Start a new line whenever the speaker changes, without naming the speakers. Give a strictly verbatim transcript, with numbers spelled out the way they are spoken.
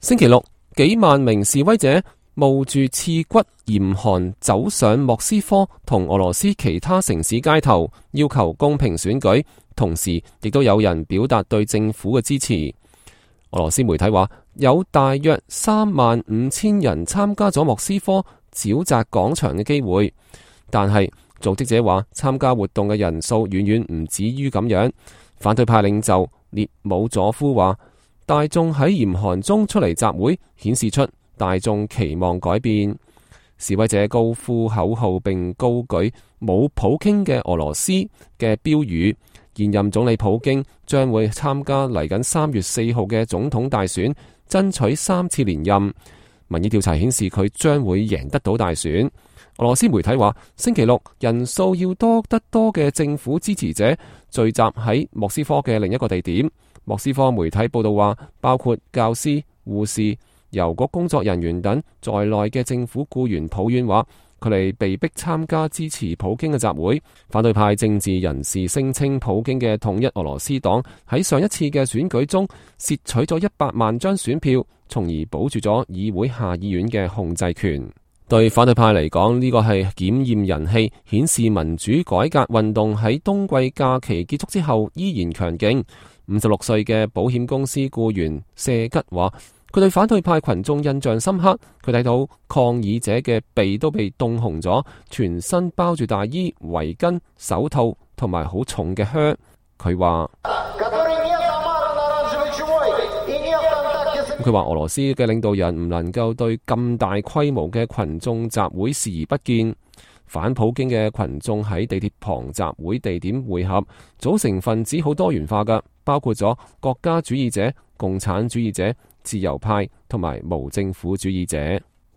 星期六，幾萬名示威者冒住刺骨嚴寒走上莫斯科同俄羅斯其他城市街頭，要求公平選舉，同時亦都有人表達對政府嘅支持。俄羅斯媒體話，有大約三萬五千人參加咗莫斯科沼澤廣場嘅機會，但係組織者話參加活動嘅人數遠遠唔止於咁樣。反對派領袖列姆佐夫話，大眾喺嚴寒中出嚟集會，顯示出大眾期望改變。示威者高呼口號並高舉冇普京嘅俄羅斯嘅標語。現任總理普京將會參加嚟緊三月四號嘅總統大選，爭取三次連任。民意調查顯示佢將會贏得到大選。俄羅斯媒體話，星期六人數要多得多嘅政府支持者聚集喺莫斯科嘅另一個地點。莫斯科媒體報道話，包括教師、護士、郵局工作人員等在內嘅政府僱員抱怨話，佢哋被逼參加支持普京嘅集會。反對派政治人士聲稱，普京嘅統一俄羅斯黨喺上一次嘅選舉中竊取咗一百萬張選票，從而保住咗議會下議院嘅控制權。對反對派嚟講，呢個係檢驗人氣，顯示民主改革運動喺冬季假期結束之後依然強勁。五十六歲嘅保險公司僱員謝吉話，佢對反對派群眾印象深刻。佢睇到抗議者嘅鼻都被凍紅咗，全身包住大衣、圍巾、手套同埋好重嘅靴。佢話佢話俄羅斯嘅領導人唔能夠對咁大規模嘅群眾集會視而不見。反普京嘅群眾喺地鐵旁集會地點會合，組成分子好多元化㗎，包括咗國家主義者、共產主義者、自由派同埋無政府主義者。